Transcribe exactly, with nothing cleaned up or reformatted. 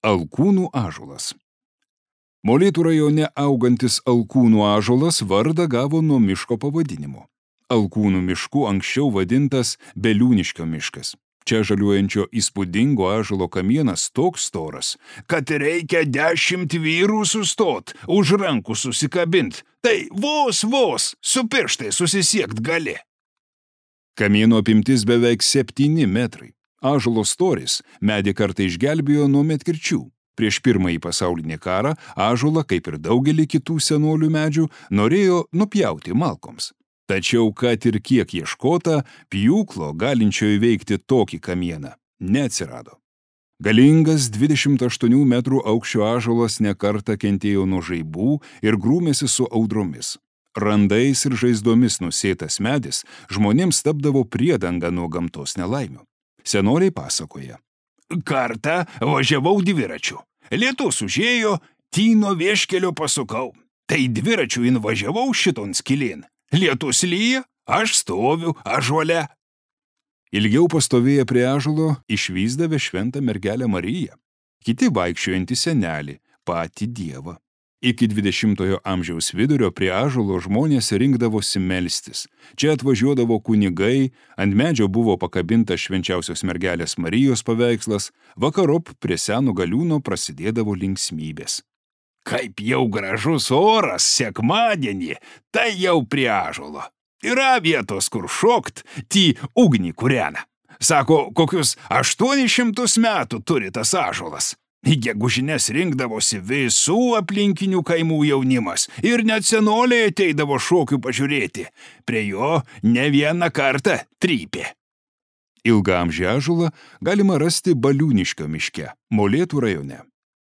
Alkūnų ąžuolas. Molėtų rajone augantis alkūnų ąžuolas vardą gavo nuo miško pavadinimo. Alkūnų mišku anksčiau vadintas Beliūniškio miškas. Čia žaliuojančio įspūdingo ąžuolo kamienas toks storas, kad reikia dešimt vyrų sustot, už rankų susikabint, tai vos vos su pirštai susisiekt gali. Kamieno apimtis beveik septyni metrai. Ąžuolo storis medį kartą išgelbėjo nuo medkirčių. Prieš pirmąjį pasaulinį karą ąžuolą, kaip ir daugelį kitų senolių medžių, norėjo nupjauti malkoms. Tačiau, kad ir kiek ieškota, pjūklo galinčio įveikti tokį kamieną neatsirado. Galingas dvidešimt aštuonių metrų aukščio ąžuolas nekartą kentėjo nuo žaibų ir grūmėsi su audromis. Randais ir žaizdomis nusėtas medis žmonėms tapdavo priedanga nuo gamtos nelaimių. Senoliai pasakoja. Kartą važiavau dviračiu. Lietus užėjo, tyno vieškelio pasukau. Tai dviračiu invažiavau šiton skilin. Lietus lyja, aš stoviu ąžuole. Ilgiau pastovėję prie ąžuolo išvysdavę šventą mergelę Mariją. Kiti vaikščiojantį senelį, patį Dievą. Iki dvidešimtojo amžiaus vidurio prie ąžuolo žmonės rinkdavosi melstis. Čia atvažiuodavo kunigai, ant medžio buvo pakabintas švenčiausios mergelės Marijos paveikslas, vakarop prie seno galiūno prasidėdavo linksmybės. Kaip jau gražus oras sekmadienį, tai jau prie ąžuolo. Yra vietos, kur šokt, ty ugnį kūrena. Sako, kokius aštuonis šimtus metų turi tas ąžuolas. Į gegužines rinkdavosi visų aplinkinių kaimų jaunimas ir net senoliai ateidavo šokių pažiūrėti. Prie jo ne vieną kartą trypė. Ilgaamžį ąžuolą galima rasti Baliūniškio miške, Molėtų rajone.